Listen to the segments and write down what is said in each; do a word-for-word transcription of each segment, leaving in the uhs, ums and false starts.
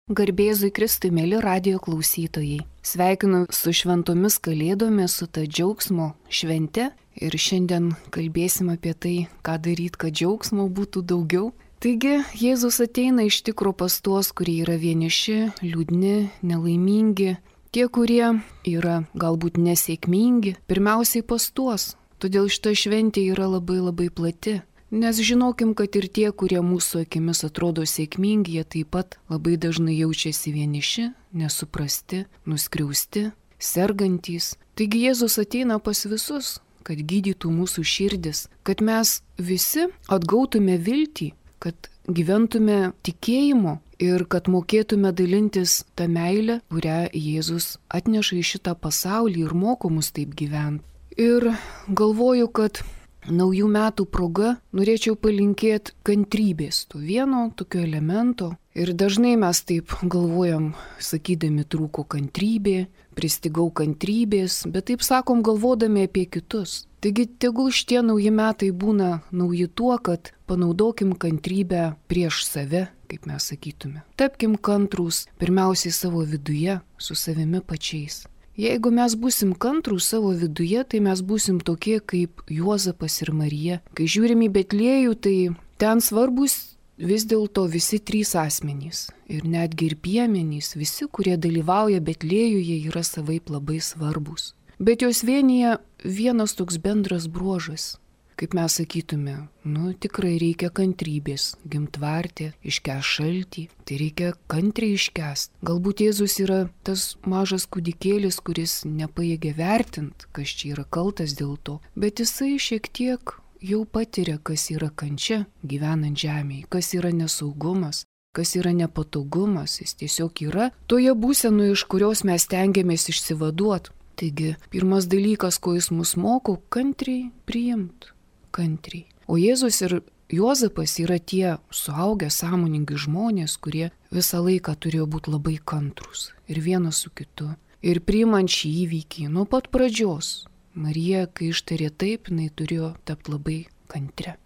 Garbėzui Kristui, mėly radijo klausytojai. Sveikinu su šventomis kalėdomis, su ta džiaugsmo švente ir šiandien kalbėsim apie tai, ką daryti, kad džiaugsmo būtų daugiau. Taigi, Jėzus ateina iš tikro pas tuos, kurie yra vieniši, liūdni, nelaimingi, tie, kurie yra galbūt nesėkmingi, pirmiausiai pas tuos. Todėl šita šventė yra labai labai plati. Nes žinokim, kad ir tie, kurie mūsų akimis atrodo sėkmingi, jie taip pat labai dažnai jaučiasi vieniši, nesuprasti, nuskriausti, sergantys. Taigi Jėzus ateina pas visus, kad gydytų mūsų širdis, kad mes visi atgautume viltį, kad gyventume tikėjimu ir kad mokėtume dalintis tą meilę, kurią Jėzus atneša į šitą pasaulį ir moko mus taip gyventi. Ir galvoju, kad naujų metų proga norėčiau palinkėti kantrybės, to vieno tokio elemento. Ir dažnai mes taip galvojam, sakydami trūko kantrybė, pristigau kantrybės, bet taip sakom galvodami apie kitus. Taigi tegul šitie nauji metai būna nauji tuo, kad panaudokim kantrybę prieš save, kaip mes sakytume. Tapkim kantrūs pirmiausiai savo viduje, su savimi pačiais. Jeigu mes būsim kantrūs savo viduje, tai mes būsim tokie kaip Juozapas ir Marija. Kai žiūrim į Betliejų, tai ten svarbus vis dėlto visi trys asmenys. Ir netgi ir piemenys, visi, kurie dalyvauja Betliejuje, yra savaip labai svarbus. Bet jos vienyje vienas toks bendras bruožas. Kaip mes sakytume, nu tikrai reikia kantrybės, gimtvartė, iškęs šaltį, tai reikia kantriai iškęst. Galbūt Jėzus yra tas mažas kūdikėlis, kuris nepajėgia vertint, kas čia yra kaltas dėl to, bet jisai šiek tiek jau patiria, kas yra kančia gyvenant žemėje, kas yra nesaugumas, kas yra nepatogumas, jis tiesiog yra toje būsenoje, iš kurios mes tengiamės išsivaduoti. Taigi, pirmas dalykas, ko jis mus moko, kantriai priimt. Kantriai. O Jėzus ir Juozapas yra tie suaugę, sąmoningi žmonės, kurie visą laiką turėjo būti labai kantrūs. Ir vienas su kitu. Ir priimant šį įvykį nuo pat pradžios. Marija, kai ištarė taip, jinai turėjo tapti labai kantri.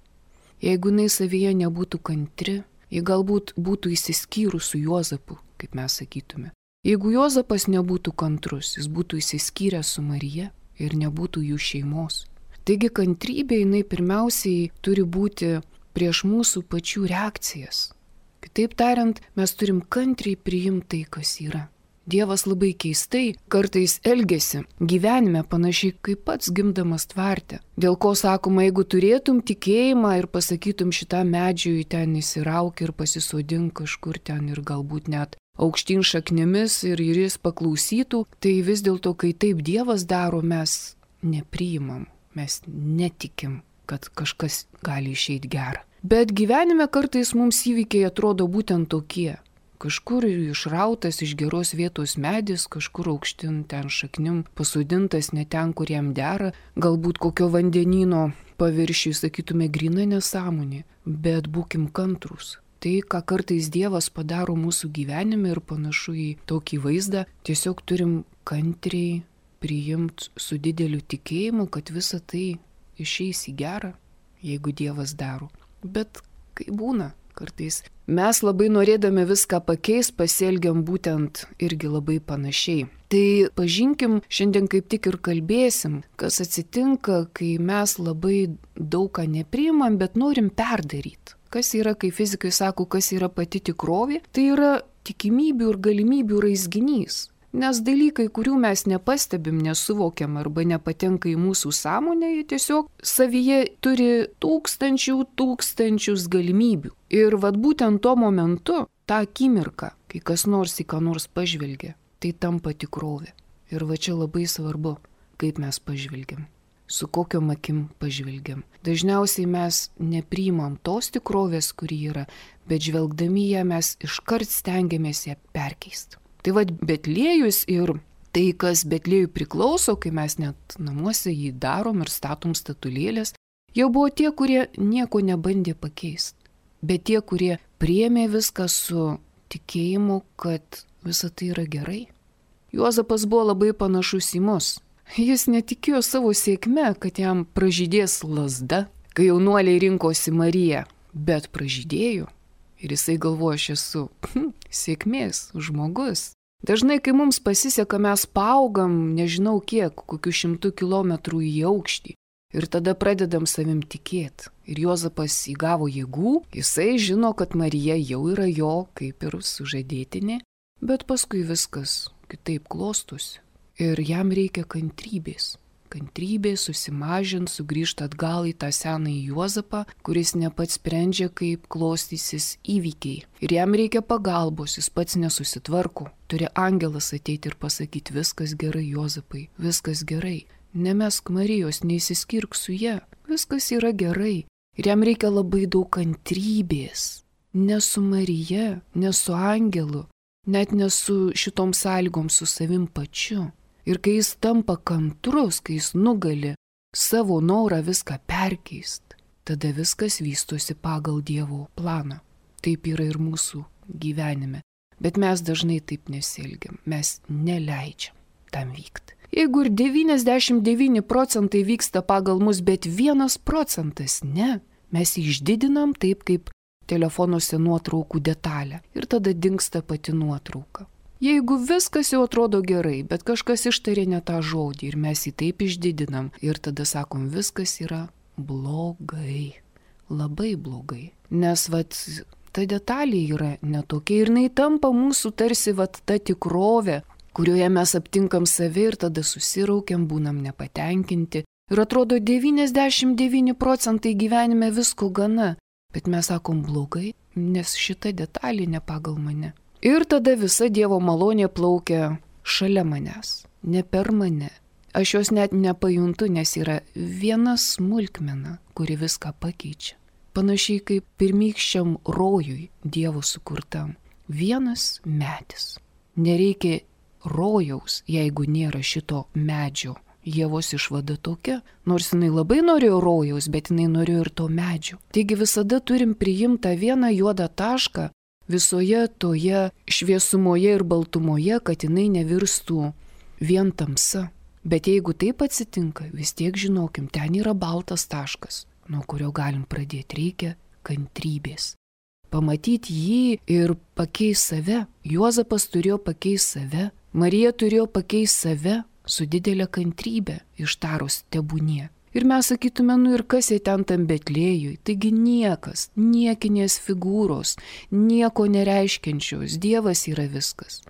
Jeigu jinai savyje nebūtų kantri, ji galbūt būtų įsiskyrus su Juozapu, kaip mes sakytume. Jeigu Juozapas nebūtų kantrus, jis būtų įsiskyręs su Marija ir nebūtų jų šeimos. Taigi kantrybė jinai pirmiausiai turi būti prieš mūsų pačių reakcijas. Kitaip tariant, mes turim kantriai priimti tai, kas yra. Dievas labai keistai kartais elgiasi gyvenime panašiai kaip pats gimdamas tvarte. Dėl ko sakoma, jeigu turėtum tikėjimą ir pasakytum šitam medžiui ten įsirauk ir pasisodink kažkur ten ir galbūt net aukštyn šaknimis ir jis paklausytų, tai vis dėlto, kai taip Dievas daro, mes nepriimam. Mes netikim, kad kažkas gali išeiti gerą. Bet gyvenime kartais mums įvykiai atrodo būtent tokie. Kažkur išrautas iš geros vietos medis, kažkur aukštin ten šaknim pasodintas ne ten, kur jam dera. Galbūt kokio vandenyno paviršiui, sakytume, gryna nesąmonė. Bet būkim kantrūs. Tai, ką kartais Dievas padaro mūsų gyvenime ir panašu į tokį vaizdą, tiesiog turim kantriai priimti su dideliu tikėjimu, kad visa tai išeis į gerą, jeigu Dievas daro. Bet kai būna, kartais mes labai norėdami viską pakeist, pasielgiam būtent irgi labai panašiai. Tai pažinkim, šiandien kaip tik ir kalbėsim, kas atsitinka, kai mes labai daug ką nepriimam, bet norim perdaryti. Kas yra, kai fizikai sako, kas yra pati tikrovė, tai yra tikimybių ir galimybių raizginys. Nes dalykai, kurių mes nepastebim, nesuvokiam arba nepatenka į mūsų sąmonę, jie tiesiog savyje turi tūkstančių tūkstančius galimybių. Ir vat būtent tuo momentu, tą akimirką, kai kas nors į ką nors pažvelgia, tai tampa tikrovė. Ir va čia labai svarbu, kaip mes pažvelgiam, su kokiom akim pažvelgiam. Dažniausiai mes nepriimam tos tikrovės, kuri yra, bet žvelgdami ją mes iškart stengiamės ją perkeisti. Tai vad Betliejus ir tai, kas Betliejui priklauso, kai mes net namuose jį darom ir statom statulėlės, jau buvo tie, kurie nieko nebandė pakeisti. Bet tie, kurie priėmė viską su tikėjimu, kad visa tai yra gerai. Juozapas buvo labai panašus į mus. Jis netikėjo savo sėkme, kad jam pražydės lazda, kai jaunuoliai rinkosi Mariją, bet pražydėjo. Ir jisai galvoja, aš esu hm, sėkmės žmogus. Dažnai, kai mums pasiseka, mes paaugam, nežinau kiek, kokių šimtų kilometrų į aukštį. Ir tada pradedam savim tikėti. Ir Juozapas įgavo jėgų, jisai žino, kad Marija jau yra jo, kaip ir sužadėtinė, bet paskui viskas kitaip klostosi. Ir jam reikia kantrybės. Kantrybės susimažint, sugrįžti atgal į tą senąjį Juozapą, kuris ne pats sprendžia, kaip klostysis įvykiai. Ir jam reikia pagalbos, jis pats nesusitvarko. Turi angelas ateiti ir pasakyti, viskas gerai, Juozapai, viskas gerai. Nemesk Marijos, neįsiskirk su ja, viskas yra gerai. Ir jam reikia labai daug kantrybės. Ne su Marija, ne su angelu, net ne su šitom sąlygom, su savim pačiu. Ir kai jis tampa kantrus, kai jis nugali savo norą viską perkeist, tada viskas vystosi pagal Dievo planą. Taip yra ir mūsų gyvenime. Bet mes dažnai taip nesielgiam, mes neleidžiam tam vykti. Jeigu ir devyniasdešimt devyni procentai vyksta pagal mus, bet vienas procentas ne, mes jį išdidinam taip kaip telefonuose nuotraukų detalę ir tada dingsta pati nuotrauka. Jeigu viskas jau atrodo gerai, bet kažkas ištarė ne tą žodį ir mes jį taip išdidinam ir tada sakom, viskas yra blogai, labai blogai. Nes vat ta detalė yra netokia ir jinai tampa mūsų tarsi vat ta tikrovė, kurioje mes aptinkam save ir tada susiraukiam, būnam nepatenkinti. Ir atrodo devyniasdešimt devyni procentai gyvenime visko gana, bet mes sakom blogai, nes šita detalė ne pagal mane. Ir tada visa Dievo malonė plaukia šalia manęs, ne per mane. Aš jos net nepajuntu, nes yra viena smulkmena, kuri viską pakeičia. Panašiai kaip pirmykščiam rojui Dievo sukurtam. Vienas medis. Nereikia rojaus, jeigu nėra šito medžio. Ievos išvada tokia, nors jinai labai norėjo rojaus, bet jinai norėjo ir to medžio. Taigi visada turim priimti tą vieną juodą tašką visoje toje šviesumoje ir baltumoje, kad jinai nevirstų vien tamsa. Bet jeigu taip atsitinka, vis tiek žinokim, ten yra baltas taškas, nuo kurio galim pradėti. Reikia kantrybės. Pamatyti jį ir pakeisti save. Juozapas turėjo pakeisti save, Marija turėjo pakeisti save su didelė kantrybė, ištarus tebūnie. Ir mes sakytume, nu ir kas jie ten tam Betlėjui, taigi niekas, niekinės figūros, nieko nereiškiančios, Dievas yra viskas.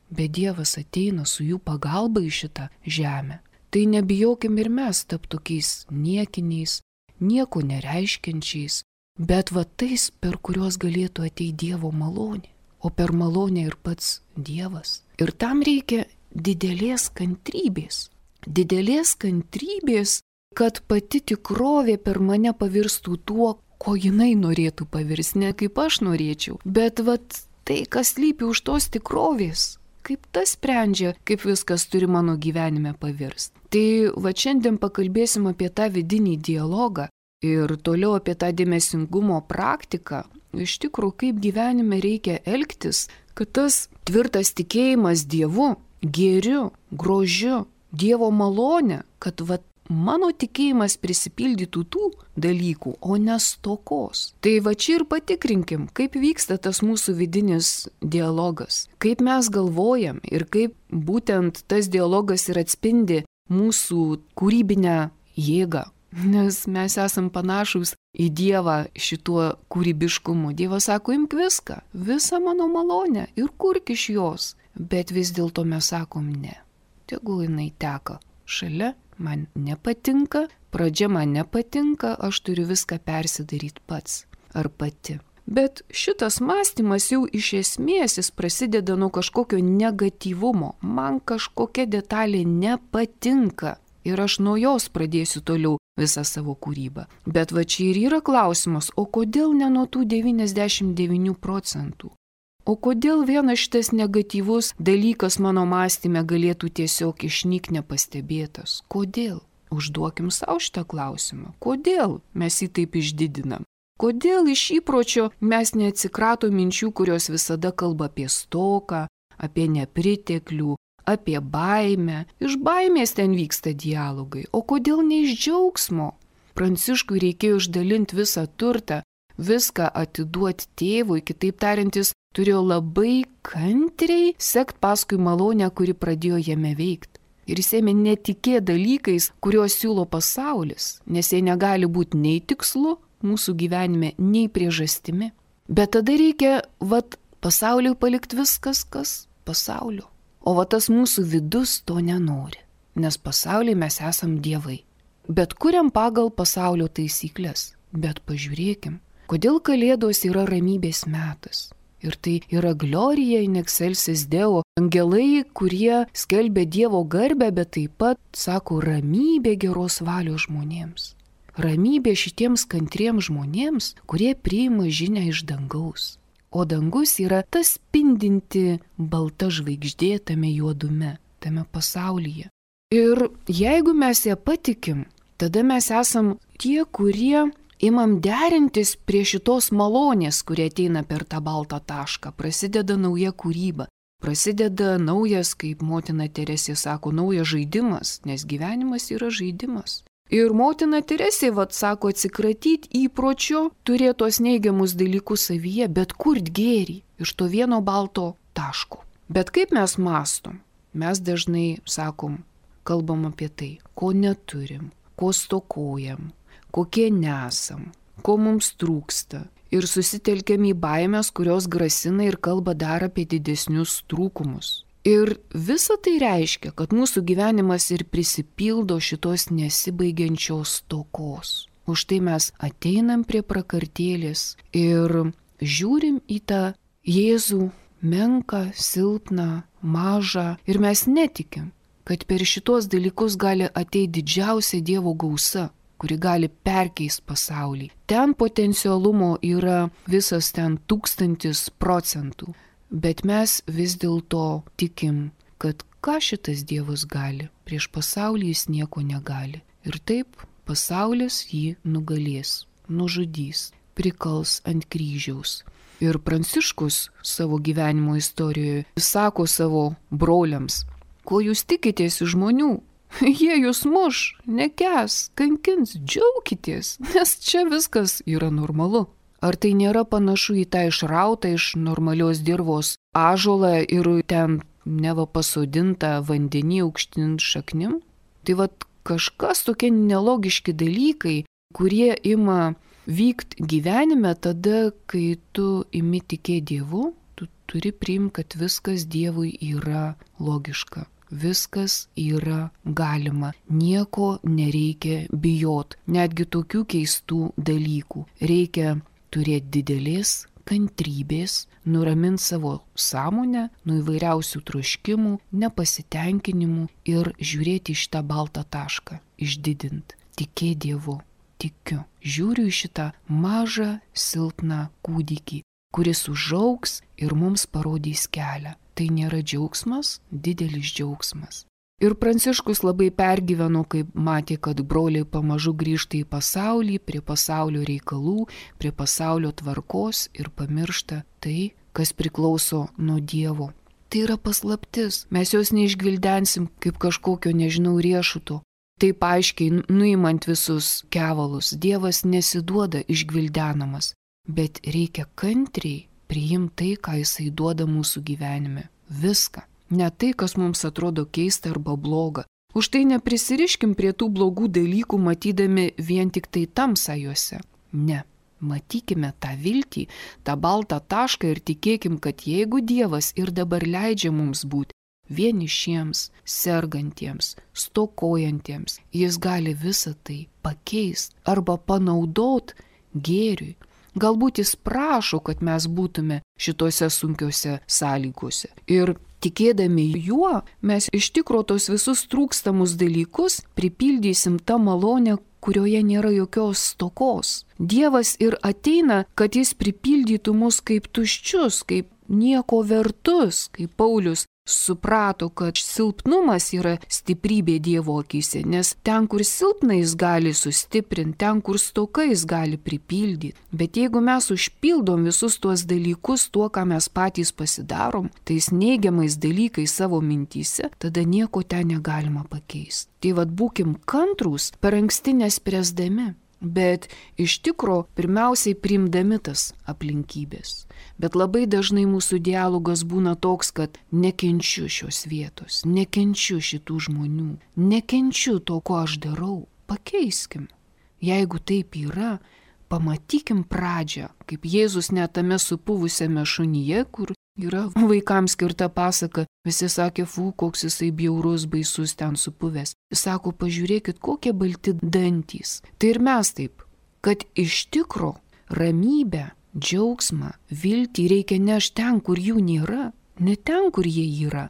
Bet Dievas ateina su jų pagalba į šitą žemę. Tai nebijokim ir mes tapti tokiais niekiniais, nieko nereiškiančiais, bet va tais, per kuriuos galėtų ateiti Dievo malonė, o per malonę ir pats Dievas. Ir tam reikia didelės kantrybės, didelės kantrybės, kad pati tikrovė per mane pavirstų tuo, ko jinai norėtų pavirsti, ne kaip aš norėčiau, bet vat tai, kas slypi už tos tikrovės, kaip tas sprendžia, kaip viskas turi mano gyvenime pavirsti. Tai va šiandien pakalbėsim apie tą vidinį dialogą ir toliau apie tą dėmesingumo praktiką, iš tikrųjų, kaip gyvenime reikia elgtis, kad tas tvirtas tikėjimas Dievu, gėriu, grožiu, Dievo malonė, kad va mano tikėjimas prisipildytų tų dalykų, o ne stokos. Tai va čia ir patikrinkim, kaip vyksta tas mūsų vidinis dialogas, kaip mes galvojam ir kaip būtent tas dialogas ir atspindi mūsų kūrybinę jėgą. Nes mes esam panašus į Dievą šituo kūrybiškumu. Dievas sako, imk viską, visą mano malonę ir kurk iš jos. Bet vis dėlto mes sakom ne. Tegul jinai teka šalia. Man nepatinka, pradžia man nepatinka, aš turiu viską persidaryti pats ar pati. Bet šitas mąstymas jau iš esmės jis prasideda nuo kažkokio negatyvumo. Man kažkokia detalė nepatinka ir aš nuo jos pradėsiu toliau visą savo kūrybą. Bet va čia ir yra klausimas, o kodėl ne nuo tų devyniasdešimt devynių procentų? O kodėl vienas šitas negatyvus dalykas mano mąstyme galėtų tiesiog išnyk nepastebėtas? Kodėl? Užduokim savo šitą klausimą. Kodėl mes jį taip išdidinam? Kodėl iš įpročio mes neatsikrato minčių, kurios visada kalba apie stoką, apie nepriteklių, apie baimę? Iš baimės ten vyksta dialogai. O kodėl ne iš džiaugsmo? Pranciškui reikėjo išdalinti visą turtą, viską atiduoti tėvui, kitaip tariant, jis turėjo labai kantriai sekti paskui malonę, kuri pradėjo jame veikti. Ir jis ėmė netikėti dalykais, kuriuos siūlo pasaulis, nes jie negali būti nei tikslu mūsų gyvenime, nei priežastimi. Bet tada reikia, vat, pasauliui palikti viskas, kas pasaulio. O va tas mūsų vidus to nenori, nes pasauliai mes esam dievai. Bet kuriam pagal pasaulio taisyklės. Bet pažiūrėkim, kodėl Kalėdos yra ramybės metas. Ir tai yra Glorija in excelsis Deo, angelai, kurie skelbia Dievo garbę, bet taip pat sako ramybė geros valios žmonėms. Ramybė šitiems kantriems žmonėms, kurie priima žinią iš dangaus. O dangus yra tas spindinti balta žvaigždė tame juodume, tame pasaulyje. Ir jeigu mes ją patikim, tada mes esam tie, kurie imam derintis prie šitos malonės, kurie ateina per tą baltą tašką. Prasideda nauja kūryba, prasideda naujas, kaip motina Teresė sako, naujas žaidimas, nes gyvenimas yra žaidimas. Ir motina Teresė, vat, sako, atsikratyti įpročio, turėti tos neigiamus dalykus savyje, bet kurt gėrį iš to vieno balto taško. Bet kaip mes mastom? Mes dažnai sakom, kalbam apie tai, ko neturim, ko stokojam, kokie nesam, ko mums trūksta. Ir susitelkiam į baimės, kurios grasina ir kalba dar apie didesnius trūkumus. Ir visa tai reiškia, kad mūsų gyvenimas ir prisipildo šitos nesibaigiančios stokos. Už tai mes ateinam prie prakartėlės ir žiūrim į tą Jėzų menką, silpną, mažą ir mes netikim, kad per šitos dalykus gali ateiti didžiausia Dievo gausa, kuri gali perkeisti pasaulį. Ten potencialumo yra visas ten tūkstantis procentų, bet mes vis dėlto tikim, kad ką šitas Dievas gali, prieš pasaulį jis nieko negali. Ir taip pasaulis jį nugalės, nužudys, prikals ant kryžiaus. Ir Pranciškus savo gyvenimo istorijoje sako savo broliams, ko jūs tikitės iš žmonių? Jie jūs muš, nekęs, kankins, džiaukitės, nes čia viskas yra normalu. Ar tai nėra panašu į tą išrautą iš normalios dirvos ąžuolą ir ten neva pasodintą vandenį aukštin šaknim? Tai vat kažkas tokie nelogiški dalykai, kurie ima vykti gyvenime tada, kai tu imi tikėti Dievu, tu turi priimti, kad viskas Dievui yra logiška. Viskas yra galima, nieko nereikia bijot, netgi tokių keistų dalykų. Reikia turėti didelės kantrybės, nuraminti savo sąmonę nuo įvairiausių troškimų, nepasitenkinimų ir žiūrėti į šitą baltą tašką, išdidint, tikėti Dievu, tikiu, žiūriu į šitą mažą, silpną kūdikį, kuris užaugs ir mums parodys kelią. Tai nėra džiaugsmas, didelis džiaugsmas. Ir Pranciškus labai pergyveno, kai matė, kad broliai pamažu grįžta į pasaulį, prie pasaulio reikalų, prie pasaulio tvarkos ir pamiršta tai, kas priklauso nuo Dievo. Tai yra paslaptis, mes jos neišgvildensim kaip kažkokio, nežinau, riešuto. Taip aiškiai, nuimant visus kevalus, Dievas nesiduoda išgvildenamas, bet reikia kantriai priimti tai, ką jisai duoda mūsų gyvenime. Viską. Ne tai, kas mums atrodo keista arba bloga. Už tai neprisiriškim prie tų blogų dalykų, matydami vien tik tai tamsą juose. Ne. Matykime tą viltį, tą baltą tašką ir tikėkim, kad jeigu Dievas ir dabar leidžia mums būti vienišiems, sergantiems, stokojantiems, jis gali visą tai pakeisti arba panaudot gėriui. Galbūt jis prašo, kad mes būtume šitose sunkiose sąlygose. Ir tikėdami juo, mes iš tikro tos visus trūkstamus dalykus pripildysim tą malonę, kurioje nėra jokios stokos. Dievas ir ateina, kad jis pripildytų mus kaip tuščius, kaip nieko vertus, kaip Paulius suprato, kad silpnumas yra stiprybė Dievo akyse, nes ten, kur silpna jis gali sustiprinti, ten, kur stoka jis gali pripildyti. Bet jeigu mes užpildom visus tuos dalykus tuo, ką mes patys pasidarom, tais neigiamais dalykais savo mintyse, tada nieko ten negalima pakeisti. Tai vad būkim kantrūs, per anksti nespręsdami. Bet iš tikro pirmiausiai priimdami tas aplinkybės. Bet labai dažnai mūsų dialogas būna toks, kad nekenčiu šios vietos, nekenčiu šitų žmonių, nekenčiu to, ko aš darau. Pakeiskim. Jeigu taip yra, pamatykim pradžią, kaip Jėzus net tame supuvusiame šunyje, kur yra vaikams skirta pasaka, visi sakė, fu, koks jisai bjaurus, baisus ten supuvęs. Jis sako, pažiūrėkit, kokie balti dantys. Tai ir mes taip, kad iš tikro ramybę, džiaugsmą, viltį reikia nešti ten, kur jų nėra, ne ten, kur jie yra.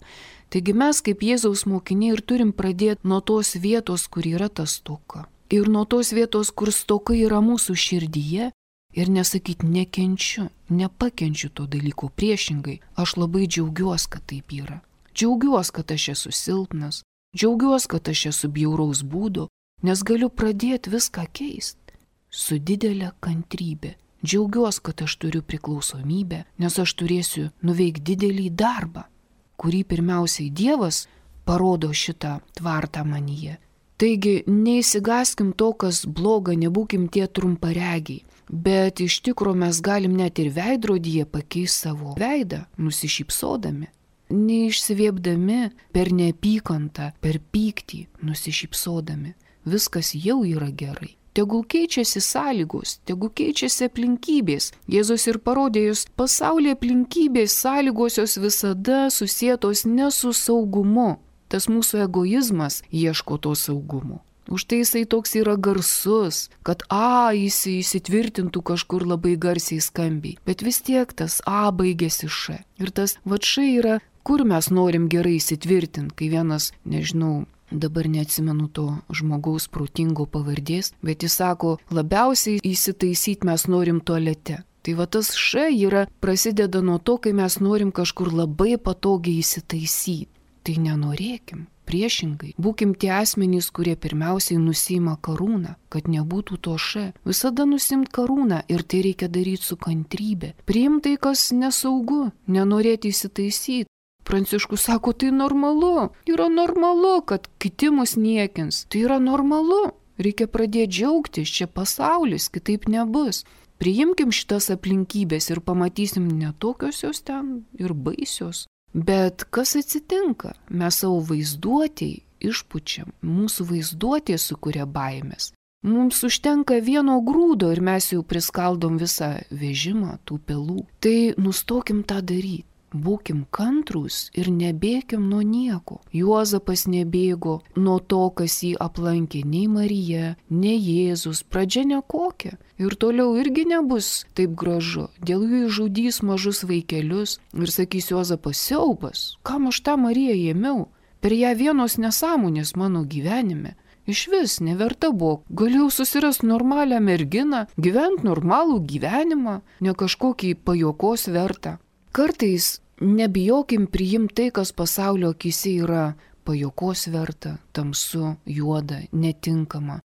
Taigi mes kaip Jėzaus mokiniai ir turim pradėti nuo tos vietos, kur yra ta stoka. Ir nuo tos vietos, kur stoka yra mūsų širdyje. Ir nesakyti, nekenčiu, nepakenčiu to dalyko, priešingai, aš labai džiaugiuosi, kad taip yra. Džiaugiuosi, kad aš esu silpnas, džiaugiuosi, kad aš esu bjauraus būdo, nes galiu pradėti viską keisti. Su didelė kantrybė. Džiaugiuosi, kad aš turiu priklausomybę, nes aš turėsiu nuveikti didelį darbą, kurį pirmiausiai Dievas parodo šitą tvartą manyje. Taigi, neįsigaskim to, kas bloga, nebūkim tie trumparegiai. Bet iš tikro mes galim net ir veidrodyje pakeisti savo veidą, nusišypsodami, neišsiviepdami per neapykantą, per pyktį, nusišypsodami. Viskas jau yra gerai. Tegul keičiasi sąlygos, tegul keičiasi aplinkybės. Jėzus ir parodė, jūs pasaulyje aplinkybės, sąlygos jos visada susietos ne su saugumu. Tas mūsų egoizmas ieško to saugumo. Už tai jisai toks yra garsus, kad A jis įsitvirtintų kažkur labai garsiai skambiai. Bet vis tiek tas A baigėsi Š. Ir tas vat Š yra, kur mes norim gerai įsitvirtinti, kai vienas, nežinau, dabar neatsimenu to žmogaus protingo pavardės, bet jis sako, labiausiai įsitaisyti mes norim tualete. Tai va tas Š yra prasideda nuo to, kai mes norim kažkur labai patogiai įsitaisyti. Tai nenorėkim. Priešingai, būkim tie asmenys, kurie pirmiausiai nusima karūną, kad nebūtų to Š. Visada nusimt karūną ir tai reikia daryti su kantrybė. Priimti tai, kas nesaugu, nenorėti įsitaisyti. Pranciškus sako, tai normalu, yra normalu, kad kiti mus niekins. Tai yra normalu, reikia pradėti džiaugtis, čia pasaulis, kitaip nebus. Priimkim šitas aplinkybės ir pamatysim netokios jos ten ir baisios. Bet kas atsitinka? Mes savo vaizduotėj išpučiam, mūsų vaizduotė sukuria baimės. Mums užtenka vieno grūdo ir mes jau priskaldom visą vežimą tų pelų. Tai nustokim tą daryti. Būkim kantrūs ir nebėkim nuo nieko. Juozapas nebėgo nuo to, kas jį aplankė, nei Marija, nei Jėzus, pradžia nekokia. Ir toliau irgi nebus taip gražu. Dėl jų išžudys mažus vaikelius ir sakys Juozapas, siaubas, kam aš tą Mariją ėmiau? Per ją vienos nesąmonės mano gyvenime. Iš vis neverta buvo. Galėjau susirasti normalią merginą, gyventi normalų gyvenimą, ne kažkokį pajokos vertą. Kartais nebijokim priimti tai, kas pasaulio akyse yra pajokos verta, tamsu, juoda, netinkama.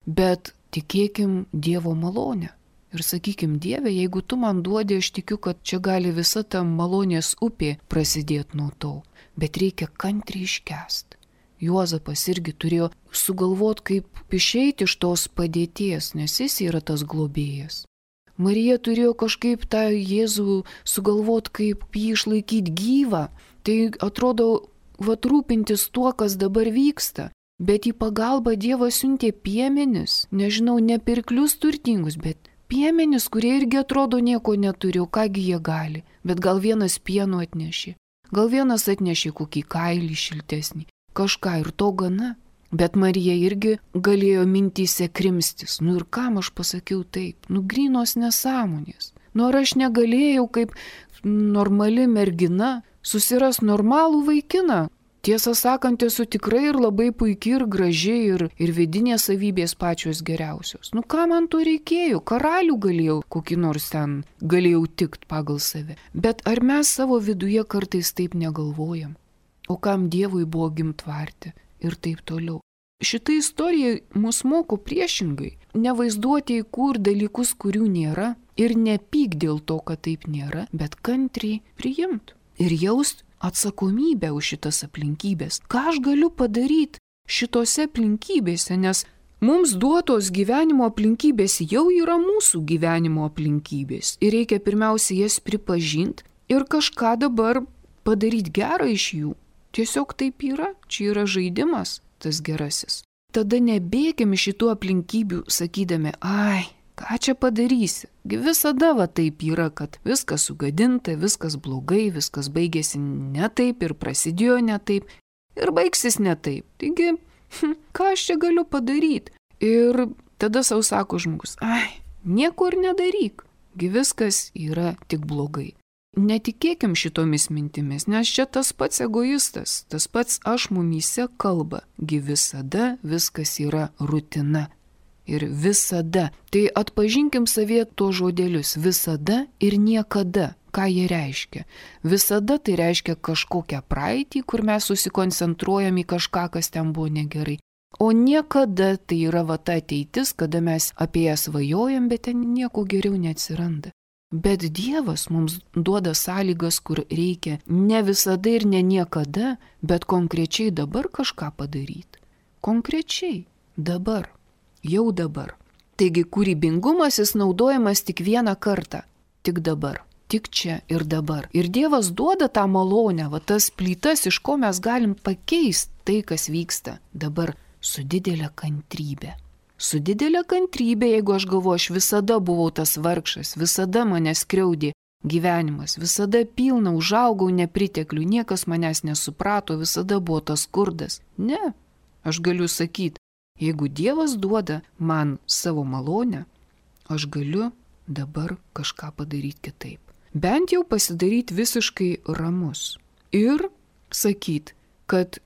Bet tikėkim Dievo malonę. Ir sakykim, Dieve, jeigu tu man duodi, aš tikiu, kad čia gali visa ta malonės upė prasidėti nuo to. Bet reikia kantriai iškęsti. Juozapas irgi turėjo sugalvoti, kaip išeiti iš tos padėties, nes jis yra tas globėjas. Marija turėjo kažkaip tą Jėzų sugalvoti, kaip jį išlaikyti gyvą. Tai atrodo, vat rūpintis tuo, kas dabar vyksta. Bet į pagalbą Dievas siuntė piemenis, nežinau, ne pirklius turtingus, bet piemenis, kurie irgi atrodo nieko neturi, o kągi jie gali. Bet gal vienas pieno atnešė, gal vienas atnešė kokį kailį šiltesnį, kažką ir to gana. Bet Marija irgi galėjo mintyse krimstis. Nu ir kam aš pasakiau taip? Nu grynos nesąmonės. Nu ar aš negalėjau kaip normali mergina susiras normalų vaikiną? Tiesą sakant, esu tikrai ir labai puikiai ir gražiai ir, ir vidinės savybės pačios geriausios. Nu ką man to reikėjo? Karalių galėjau, kokį nors ten galėjau tikt pagal save. Bet ar mes savo viduje kartais taip negalvojam? O kam Dievui buvo gimtvarti? Ir taip toliau. Šitą istoriją mus moko priešingai. Nevaizduoti į kur dalykus, kurių nėra ir nepyk dėl to, kad taip nėra, bet kantriai priimt ir jaust atsakomybę už šitas aplinkybės. Ką aš galiu padaryti šitose aplinkybėse, nes Mums duotos gyvenimo aplinkybės jau yra mūsų gyvenimo aplinkybės ir reikia pirmiausia jas pripažinti ir kažką dabar padaryti gerą iš jų. Tiesiog taip yra, čia yra žaidimas, tas gerasis. Tada nebėgim iš šitų aplinkybių sakydami, ai, ką čia padarysi? Visada va taip yra, kad viskas sugadinta, viskas blogai, viskas baigėsi ne taip ir prasidėjo ne taip ir baigsis ne taip. Taigi, hm, ką aš čia galiu padaryti? Ir tada savo sako žmogus, ai, nieko ir nedaryk, gi viskas yra tik blogai. Netikėkim šitomis mintimis, nes čia tas pats egoistas, tas pats aš mumyse kalba, gi visada viskas yra rutina. Ir visada. Tai atpažinkim savie tuos žodelius. Visada ir niekada. Ką jie reiškia? Visada tai reiškia kažkokią praeitį, kur mes susikoncentruojam į kažką, kas ten buvo negerai. O niekada tai yra va ta ateitis, kada mes apie ją svajojam, bet ten nieko geriau neatsiranda. Bet Dievas mums duoda sąlygas, kur reikia ne visada ir ne niekada, bet konkrečiai dabar kažką padaryti. Konkrečiai dabar. Jau dabar. Taigi kūrybingumas jis naudojamas tik vieną kartą. Tik dabar. Tik čia ir dabar. Ir Dievas duoda tą malonę, va tas plytas, iš ko mes galim pakeisti tai, kas vyksta dabar su didelė kantrybė. Su didelė kantrybė, jeigu aš galvoju, aš visada buvau tas vargšas, visada mane skriaudė gyvenimas, visada pilna, užaugau nepriteklių, niekas manęs nesuprato, visada buvo tas skurdas. Ne, aš galiu sakyti, jeigu Dievas duoda man savo malonę, aš galiu dabar kažką padaryti kitaip. Bent jau pasidaryti visiškai ramus. Ir sakyti, kad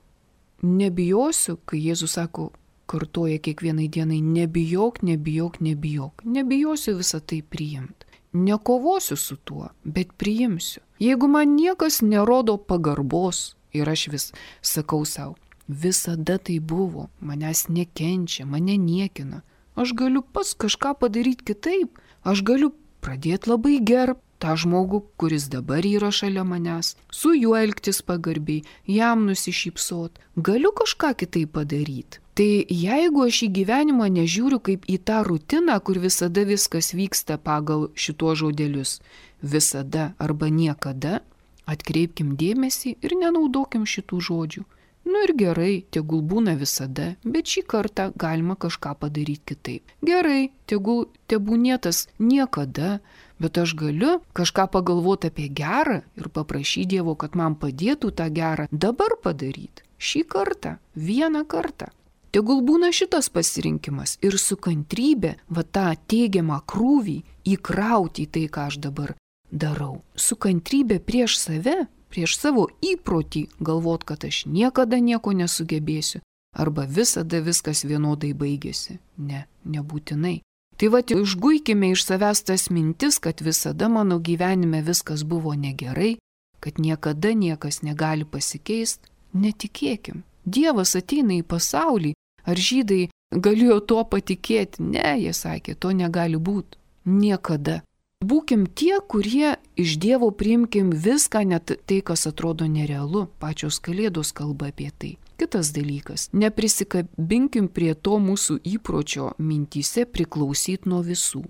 nebijosiu, kai Jėzus sako, kartoja kiekvienai dienai, nebijok, nebijok, nebijok. Nebijosiu visą tai priimti. Nekovosiu su tuo, bet priimsiu. Jeigu man niekas nerodo pagarbos ir aš vis sakau savo, visada tai buvo, manęs nekenčia, mane niekina. Aš galiu pats kažką padaryti kitaip. Aš galiu pradėti labai gerbti tą žmogų, kuris dabar yra šalia manęs, su juo elgtis pagarbiai, jam nusišypsot. Galiu kažką kitaip padaryti. Tai jeigu aš į gyvenimą nežiūriu kaip į tą rutiną, kur visada viskas vyksta pagal šituos žodelius, visada arba niekada, atkreipkim dėmesį ir nenaudokim šitų žodžių. Nu ir gerai, tegul būna visada, bet šį kartą galima kažką padaryti kitaip. Gerai, tegul tebūnėtas niekada, bet aš galiu kažką pagalvoti apie gerą ir paprašyti Dievo, kad man padėtų tą gerą dabar padaryti. Šį kartą, vieną kartą. Tegul būna šitas pasirinkimas ir su kantrybė va tą teigiamą krūvį įkrauti į tai, ką aš dabar darau. Su kantrybė prieš save, prieš savo įprotį galvot, kad aš niekada nieko nesugebėsiu arba visada viskas vienodai baigėsi. Ne, nebūtinai. Tai va, išguikime iš savęs tas mintis, kad visada mano gyvenime viskas buvo negerai, kad niekada niekas negali pasikeisti. Netikėkim. Dievas ateina į pasaulį. Ar žydai galėjo tuo patikėti? Ne, jie sakė, to negali būti. Niekada. Būkim tie, kurie iš Dievo priimkim viską, net tai, kas atrodo nerealu. Pačios Kalėdos kalba apie tai. Kitas dalykas. Neprisikabinkim prie to mūsų įpročio mintyse priklausyti nuo visų.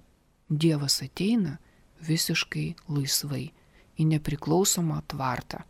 Dievas ateina visiškai laisvai į nepriklausomą tvartą.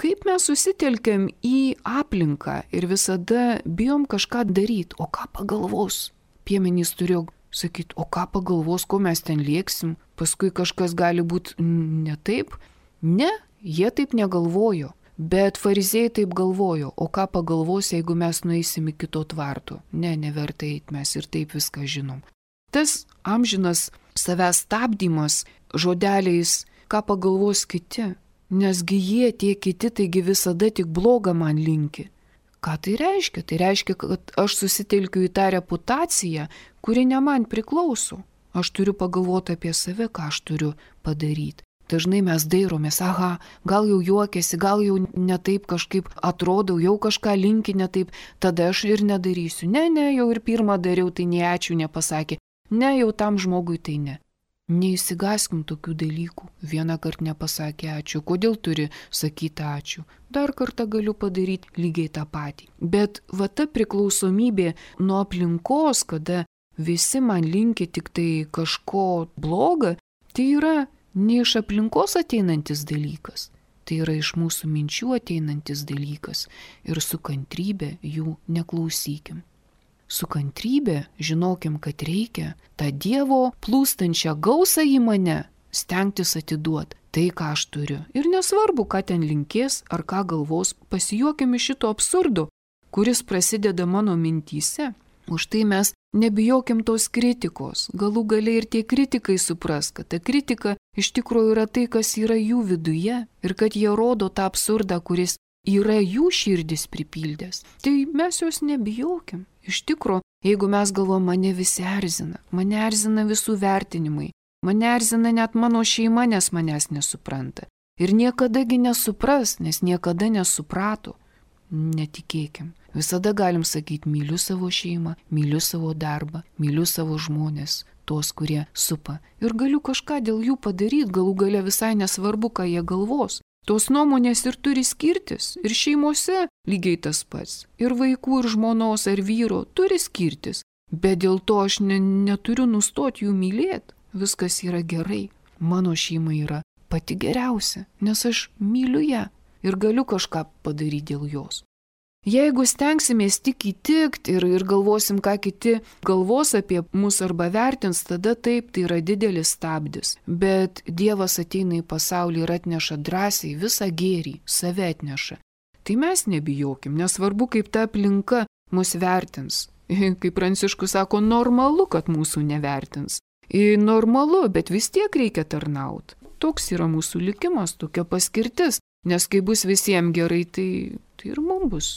Kaip mes susitelkiam į aplinką ir visada bijom kažką daryti, o ką pagalvos? Piemenys turėjo sakyti, o ką pagalvos, ko mes ten lieksim, paskui kažkas gali būti ne taip. Ne, jie taip negalvojo, bet fariziejai taip galvojo, o ką pagalvos, jeigu mes nueisim į kito tvarto. Ne, neverta eiti, mes ir taip viską žinom. Tas amžinas savęs stabdymas žodeliais, ką pagalvos kiti. Nesgi jie, tie kiti, taigi visada tik blogą man linki. Ką tai reiškia? Tai reiškia, kad aš susitelkiu į tą reputaciją, kuri ne man priklauso. Aš turiu pagalvoti apie save, ką aš turiu padaryti. Dažnai mes dairomės, aha, gal jau juokiasi, gal jau netaip kažkaip atrodau, jau kažką linki netaip, tada aš ir nedarysiu. Ne, ne, jau ir pirmą dariau, tai ne ačiū nepasakė. Ne, jau tam žmogui tai ne. Neįsigaskim tokių dalykų. Vieną kartą nepasakė ačiū. Kodėl turi sakyti ačiū? Dar kartą galiu padaryti lygiai tą patį. Bet va ta priklausomybė nuo aplinkos, kada visi man linki tik tai kažko bloga, tai yra ne iš aplinkos ateinantis dalykas. Tai yra iš mūsų minčių ateinantis dalykas. Ir su kantrybė jų neklausykim. Su kantrybė žinokim, kad reikia tą Dievo plūstančią gausą į mane stengtis atiduoti tai, ką aš turiu. Ir nesvarbu, ką ten linkės ar ką galvos, pasijuokim iš šito absurdo, kuris prasideda mano mintyse. Už tai mes nebijokim tos kritikos. Galų galiai ir tie kritikai supras, kad ta kritika iš tikrųjų yra tai, kas yra jų viduje ir kad jie rodo tą absurdą, kuris yra jų širdis pripildęs. Tai mes jos nebijokim. Iš tikro, jeigu mes galvom, mane visi erzina, mane erzina visų vertinimai, mane erzina net mano šeima, nes manęs nesupranta. Ir niekadagi nesupras, nes niekada nesuprato. Netikėkim. Visada galim sakyti, myliu savo šeimą, myliu savo darbą, myliu savo žmonės, tuos, kurie supa. Ir galiu kažką dėl jų padaryti, galų gale visai nesvarbu, ką jie galvos. Tos nuomonės ir turi skirtis, ir šeimose lygiai tas pats, ir vaikų, ir žmonos, ar vyro turi skirtis, bet dėl to aš ne, neturiu nustoti jų mylėti, viskas yra gerai, mano šeima yra pati geriausia, nes aš myliu ją ir galiu kažką padaryti dėl jos. Jeigu stengsimės tik įtikti ir, ir galvosim, ką kiti galvos apie mus arba vertins, tada taip, tai yra didelis stabdis. Bet Dievas ateina į pasaulį ir atneša drąsiai visą gėrį, save atneša. Tai mes nebijokim, nesvarbu, kaip ta aplinka mus vertins. Kaip Pranciškus sako, normalu, kad mūsų nevertins. Ir normalu, bet vis tiek reikia tarnauti. Toks yra mūsų likimas, tokia paskirtis. Nes kai bus visiems gerai, tai, tai ir mums bus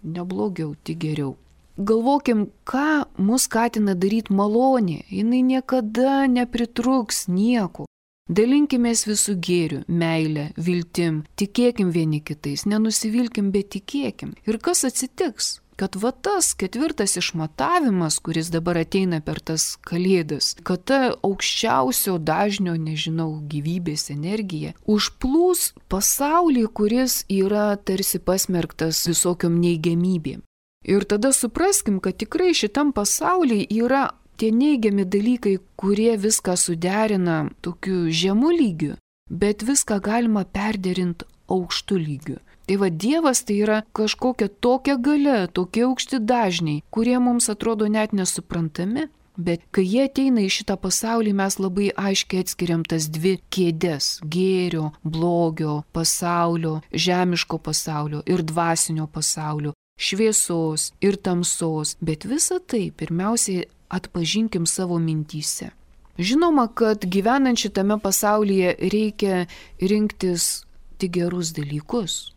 neblogiau, tik geriau. Galvokim, ką mus skatina daryti malonė. Jinai niekada nepritruks nieko. Dalinkimės visų gėrių, meilę, viltim, tikėkim vieni kitais, nenusivilkim, bet tikėkim. Ir kas atsitiks? Kad va tas ketvirtas išmatavimas, kuris dabar ateina per tas kalėdas, kad ta aukščiausio dažnio, nežinau, gyvybės energija užplūs pasaulį, kuris yra tarsi pasmerktas visokiom neigiamybėm. Ir tada supraskim, kad tikrai šitam pasaulyje yra tie neigiami dalykai, kurie viską suderina tokiu žemu lygiu, bet viską galima perderinti aukštu lygiu. Tai va, Dievas tai yra kažkokia tokia galia, tokie aukšti dažniai, kurie mums atrodo net nesuprantami, bet kai jie ateina į šitą pasaulį, mes labai aiškiai atskiriam tas dvi kėdes - gėrio, blogio, pasaulio, žemiško pasaulio ir dvasinio pasaulio, šviesos ir tamsos, bet visą tai pirmiausiai atpažinkim savo mintyse. Žinoma, kad gyvenant šitame pasaulyje reikia rinktis tik gerus dalykus.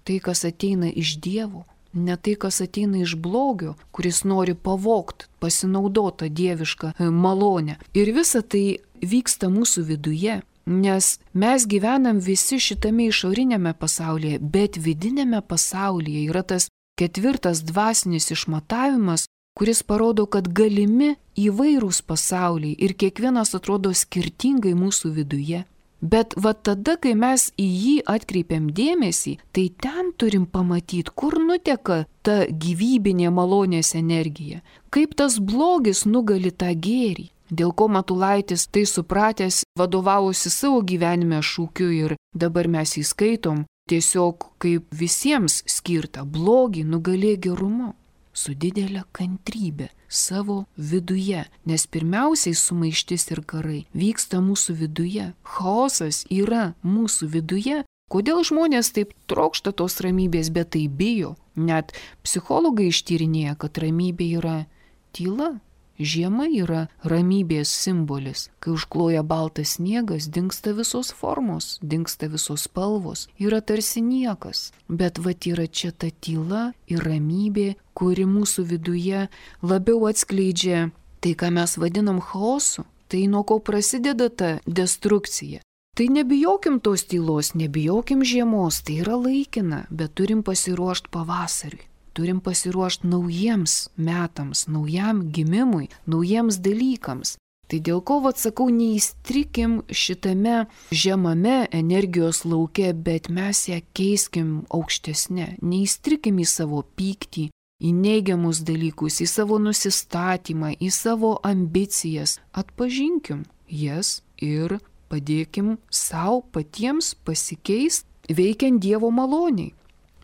Tai, kas ateina iš Dievo, ne tai, kas ateina iš blogio, kuris nori pavogti, pasinaudoti dievišką malonę. Ir visa tai vyksta mūsų viduje, nes mes gyvenam visi šitame išorinėme pasaulyje, bet vidinėme pasaulyje yra tas ketvirtas dvasinis išmatavimas, kuris parodo, kad galimi įvairūs pasauliai ir kiekvienas atrodo skirtingai mūsų viduje. Bet va tada, kai mes į jį atkreipiam dėmesį, tai ten turim pamatyti, kur nuteka ta gyvybinė malonės energija, kaip tas blogis nugali tą gėrį. Dėl ko Matulaitis tai supratęs vadovavosi savo gyvenime šūkiu ir dabar mes jį skaitom tiesiog kaip visiems skirta blogį nugalė gerumu. Su didelė kantrybė savo viduje, nes pirmiausiai sumaištis ir karai vyksta mūsų viduje. Chaosas yra mūsų viduje. Kodėl žmonės taip trokšta tos ramybės, bet tai bijo? Net psichologai ištyrinėja, kad ramybė yra tyla. Žiema yra ramybės simbolis. Kai užkloja baltas sniegas, dingsta visos formos, dingsta visos spalvos. Yra tarsi niekas. Bet vat yra čia ta tyla ir ramybė, kuri mūsų viduje labiau atskleidžia tai, ką mes vadinam chaosu. Tai nuo ko prasideda ta destrukcija. Tai nebijokim tos tylos, nebijokim žiemos, tai yra laikina, bet turim pasiruošti pavasariui. Turim pasiruošti naujiems metams, naujam gimimui, naujiems dalykams. Tai dėl ko, vat sakau, neįstrikim šitame žemame energijos lauke, bet mes ją keiskim aukštesnė. Neįstrikim į savo pyktį, į neigiamus dalykus, į savo nusistatymą, į savo ambicijas. Atpažinkim jas ir padėkim savo patiems pasikeisti, veikiant Dievo maloniai.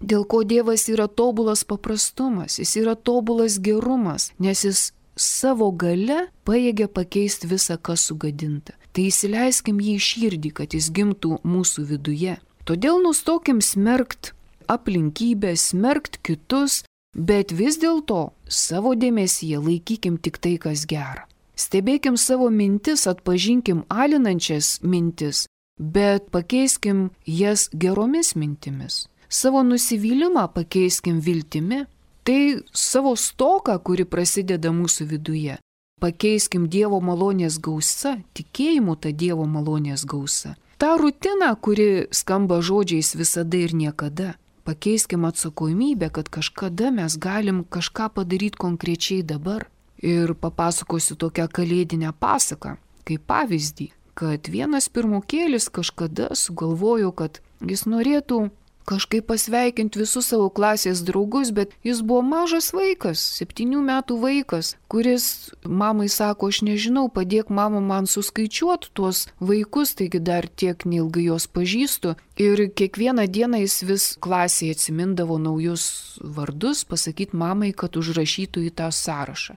Dėl ko Dievas yra tobulas paprastumas, jis yra tobulas gerumas, nes jis savo gale pajėgia pakeisti visą, kas sugadinta. Tai įsileiskim jį į širdį, kad jis gimtų mūsų viduje. Todėl nustokim smerkt aplinkybės, smerkt kitus, bet vis dėlto savo dėmesyje laikykim tik tai, kas gera. Stebėkim savo mintis, atpažinkim alinančias mintis, bet pakeiskim jas geromis mintimis. Savo nusivylimą pakeiskim viltimi. Tai savo stoką, kuri prasideda mūsų viduje, pakeiskim Dievo malonės gausa, tikėjimu tą Dievo malonės gausa. Ta rutina, kuri skamba žodžiais visada ir niekada, pakeiskim atsakomybę, kad kažkada mes galim kažką padaryti konkrečiai dabar. Ir papasakosiu tokią kalėdinę pasaką, kaip pavyzdį, kad vienas pirmokėlis kažkada sugalvojo, kad jis norėtų kažkaip pasveikinti visus savo klasės draugus, bet jis buvo mažas vaikas, septynių metų vaikas, kuris mamai sako, aš nežinau, padėk mama man suskaičiuoti tuos vaikus, taigi dar tiek neilgai jos pažįstu. Ir kiekvieną dieną jis vis klasėje atsimindavo naujus vardus, pasakyti mamai, kad užrašytų į tą sąrašą.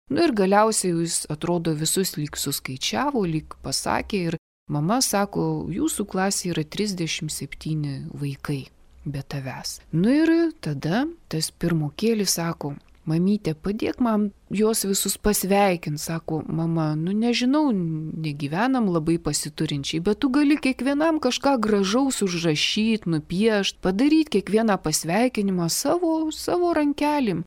Nu ir galiausiai jis atrodo visus lyg suskaičiavo, lyg pasakė ir mama sako, jūsų klasė yra trisdešimt septyni vaikai be tavęs. Nu ir tada tas pirmokėlis sako, mamytė, padėk man juos visus pasveikinti. Sako, mama, nu nežinau, negyvenam labai pasiturinčiai, bet tu gali kiekvienam kažką gražaus užrašyti, nupiešti, padaryti kiekvieną pasveikinimą savo, savo rankelim.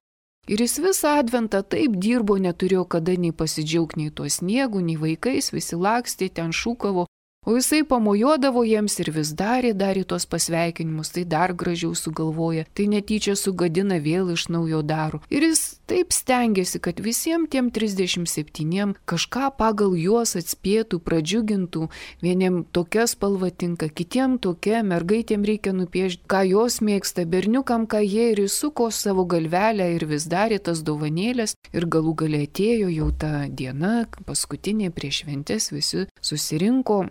Ir jis visą adventą taip dirbo, neturėjo kada nei pasidžiaugti nei tuo sniegu, nei vaikais, visi lakstė, ten šūkavo. O jisai pamojuodavo jiems ir vis darė, darė tos pasveikinimus, tai dar gražiau sugalvoja, tai netyčia sugadina vėl iš naujo daro. Ir jis taip stengiasi, kad visiems tiem trisdešimt septyniem kažką pagal juos atspėtų, pradžiugintų, vieniem tokia spalva tinka, kitiem tokia, mergaitėm reikia nupiešti, ką jos mėgsta, berniukam, ką jie ir įsuko savo galvelę ir vis darė tas dovanėlės. Ir galų gale atėjo jau ta diena, paskutinė prieš šventes, visi susirinko.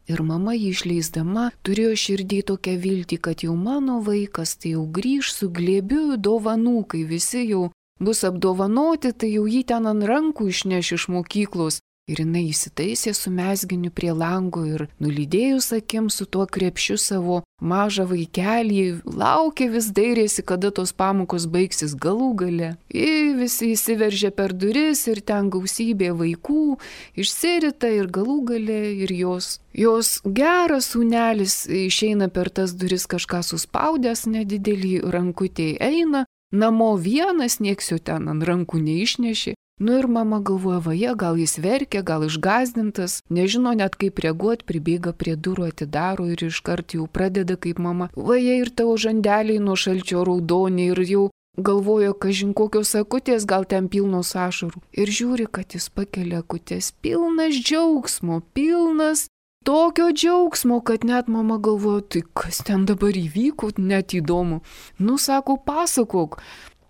Ir mama jį išleisdama turėjo širdį tokią viltį, kad jau mano vaikas tai jau grįž su glėbiu dovanų, kai visi jau bus apdovanoti, tai jau jį ten ant rankų išneš iš mokyklos. Ir jinai įsitaisė su mezginiu prie lango ir nulydėjus akim su tuo krepšiu savo mažą vaikelį, laukė vis dairėsi, kada tos pamokos baigsis galų gale. Ir visi įsiveržė per duris ir ten gausybė vaikų, išsirita ir galų gale ir jos. Jos geras sūnelis išeina per tas duris kažką suspaudęs nedidelį rankutį, eina, namo vienas, nieks jo ten ant rankų neišnešė. Nu ir mama galvoja, vaje, gal jis verkia, gal išgąsdintas, nežino net kaip reaguoti, pribėga prie durų, atidaro ir iškart jau pradeda kaip mama. Vaje ir tavo žandeliai nuo šalčio raudoni ir jau galvojo, kažin kokios akutės, gal ten pilnos ašarų. Ir žiūri, kad jis pakelia akutės, pilnas džiaugsmo, pilnas tokio džiaugsmo, kad net mama galvojo, tai kas ten dabar įvyko, net įdomu. Nu, sako, pasakok.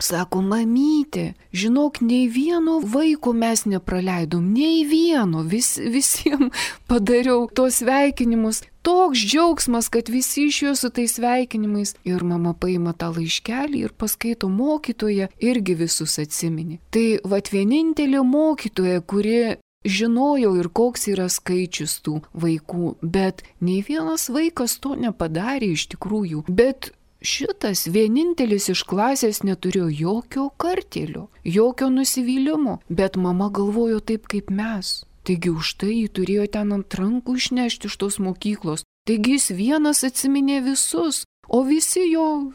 Sako, mamytė, žinok, nei vieno vaiko mes nepraleidom, nei vieno, vis, visiems padariau tos sveikinimus. Toks džiaugsmas, kad visi išėjo su tais sveikinimais. Ir mama paima tą laiškelį ir paskaito mokytoją, irgi visus atsiminė. Tai vat vienintelė mokytoja, kuri žinojau ir koks yra skaičius tų vaikų, bet nei vienas vaikas to nepadarė iš tikrųjų. Bet šitas vienintelis iš klasės neturėjo jokio kartėlio, jokio nusivylimo, bet mama galvojo taip kaip mes. Taigi už tai jį turėjo ten ant rankų išnešti iš tos mokyklos. Taigi jis vienas atsiminė visus, o visi jo,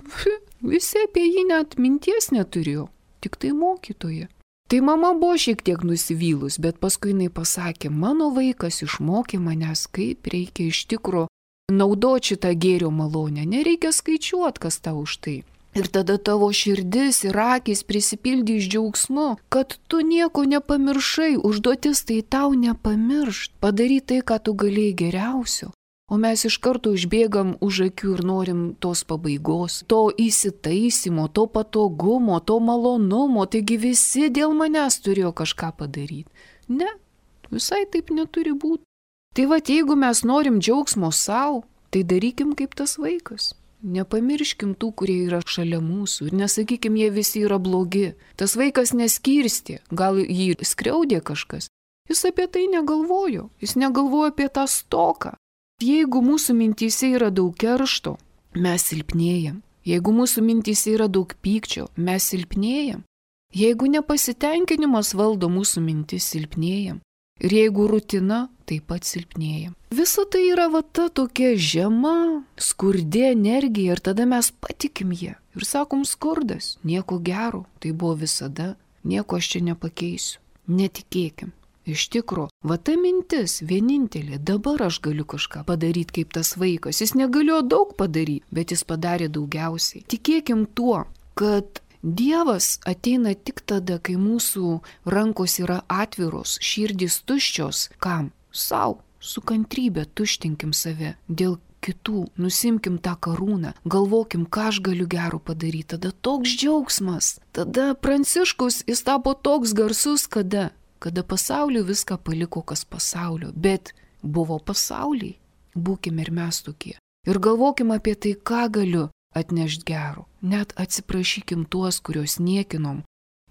visi apie jį net minties neturėjo, tik tai mokytoja. Tai mama buvo šiek tiek nusivylus, bet paskui jinai pasakė, mano vaikas išmokė manęs, kaip reikia iš tikro naudoti šitą gėrio malonę, nereikia skaičiuoti, kas tau už tai. Ir tada tavo širdis ir akys prisipildys džiaugsmu, kad tu nieko nepamiršai, užduotis tai tau nepamiršt, padaryti tai, ką tu galėjai geriausio. O mes iš karto išbėgam už akių ir norim tos pabaigos, to įsitaisimo, to patogumo, to malonumo, taigi visi dėl manęs turėjo kažką padaryti. Ne, visai taip neturi būti. Tai va, jeigu mes norim džiaugsmo savo, tai darykim kaip tas vaikas. Nepamirškim tų, kurie yra šalia mūsų ir nesakykim, jie visi yra blogi. Tas vaikas neskirstė, gal jį skriaudė kažkas. Jis apie tai negalvojo, jis negalvojo apie tą stoką. Jeigu mūsų mintyse yra daug keršto, mes silpnėjam. Jeigu mūsų mintyse yra daug pykčio, mes silpnėjam. Jeigu nepasitenkinimas valdo mūsų mintis, silpnėjam. Ir jeigu rutina, taip pat silpnėjam. Visa tai yra va ta tokia žema, skurdi energija ir tada mes patikim ją. Ir sakom, skurdas, nieko gero, tai buvo visada, nieko aš čia nepakeisiu. Netikėkim. Iš tikro, va ta mintis vienintelė, dabar aš galiu kažką padaryti kaip tas vaikas. Jis negalėjo daug padaryti, bet jis padarė daugiausiai. Tikėkim tuo, kad Dievas ateina tik tada, kai mūsų rankos yra atviros, širdys tuščios. Kam? Sau, su kantrybė tuštinkim save dėl kitų, nusimkim tą karūną, galvokim, ką aš galiu gero padaryti. Tada toks džiaugsmas. Tada Pranciškus jis tapo toks garsus, kada? Kada pasaulio viską paliko, kas pasaulio, bet buvo pasauliai, būkime ir mes tokie. Ir galvokim apie tai, ką galiu atnešti gero. Net atsiprašykim tuos, kuriuos niekinom.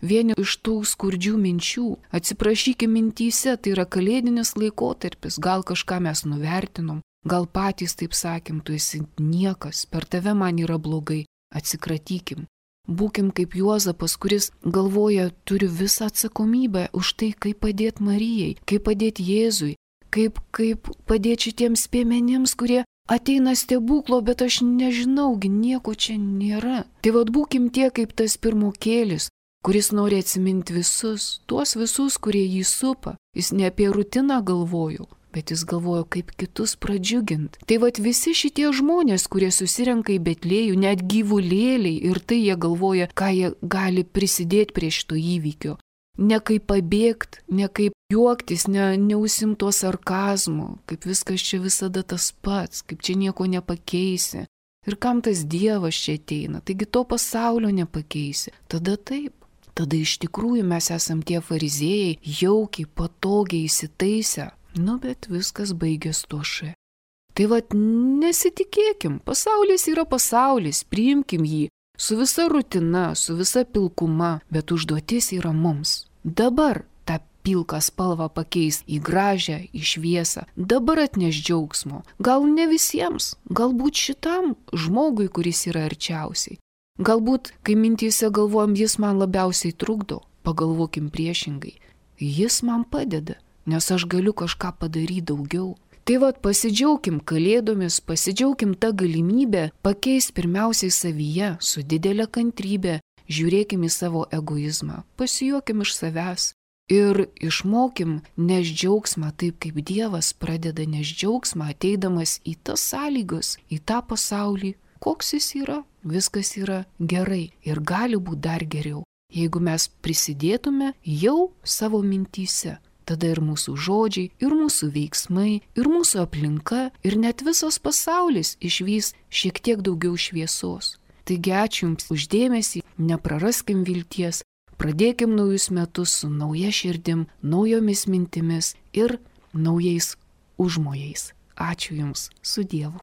Vieni iš tų skurdžių minčių, atsiprašykim mintyse, tai yra kalėdinis laikotarpis, gal kažką mes nuvertinom, gal patys taip sakėm, tu esi niekas, per tave man yra blogai, atsikratykim. Būkim kaip Juozapas, kuris galvoja, turi visą atsakomybę už tai, kaip padėti Marijai, kaip padėti Jėzui, kaip, kaip padėti šitiems piemenims, kurie ateina stebuklo, bet aš nežinaugi, nieko čia nėra. Tai vad būkim tie kaip tas pirmokėlis, kuris nori atsiminti visus, tuos visus, kurie jį supa. Jis ne apie rutiną galvojo, bet jis galvojo, kaip kitus pradžiugint. Tai vat visi šitie žmonės, kurie susirenka į Betlėjų, net gyvulėliai, ir tai jie galvoja, ką jie gali prisidėti prie šito įvykio. Ne kaip pabėgti, ne kaip juoktis, ne, neusimto sarkazmo, kaip viskas čia visada tas pats, kaip čia nieko nepakeisi. Ir kam tas Dievas čia ateina, taigi to pasaulio nepakeisi. Tada taip. Tada iš tikrųjų mes esam tie fariziejai, jaukiai, patogiai įsitaisę. Nu, bet viskas baigės tuoše. Tai vat nesitikėkim, pasaulis yra pasaulis, priimkim jį, su visa rutina, su visa pilkuma, bet užduotis yra mums. Dabar tą pilką spalvą pakeis į gražią, į šviesą, dabar atneš džiaugsmo. Gal ne visiems, galbūt šitam žmogui, kuris yra arčiausiai. Galbūt, kai mintyse galvojam, jis man labiausiai trukdo, pagalvokim priešingai, jis man padeda. Nes aš galiu kažką padaryti daugiau. Tai vat pasidžiaugkim kalėdomis, pasidžiaugkim tą galimybę pakeis pirmiausiai savyje, su didelė kantrybė, žiūrėkim į savo egoizmą, pasijuokim iš savęs ir išmokim neš džiaugsmą taip, kaip Dievas pradeda neš džiaugsmą, ateidamas į tas sąlygas, į tą pasaulį, koks jis yra, viskas yra gerai ir gali būti dar geriau, jeigu mes prisidėtume jau savo mintyse. Tada ir mūsų žodžiai, ir mūsų veiksmai, ir mūsų aplinka, ir net visas pasaulis išvys šiek tiek daugiau šviesos. Taigi ačiū Jums už dėmesį, nepraraskim vilties, pradėkim naujus metus su nauja širdim, naujomis mintimis ir naujais užmojais. Ačiū Jums, su Dievu.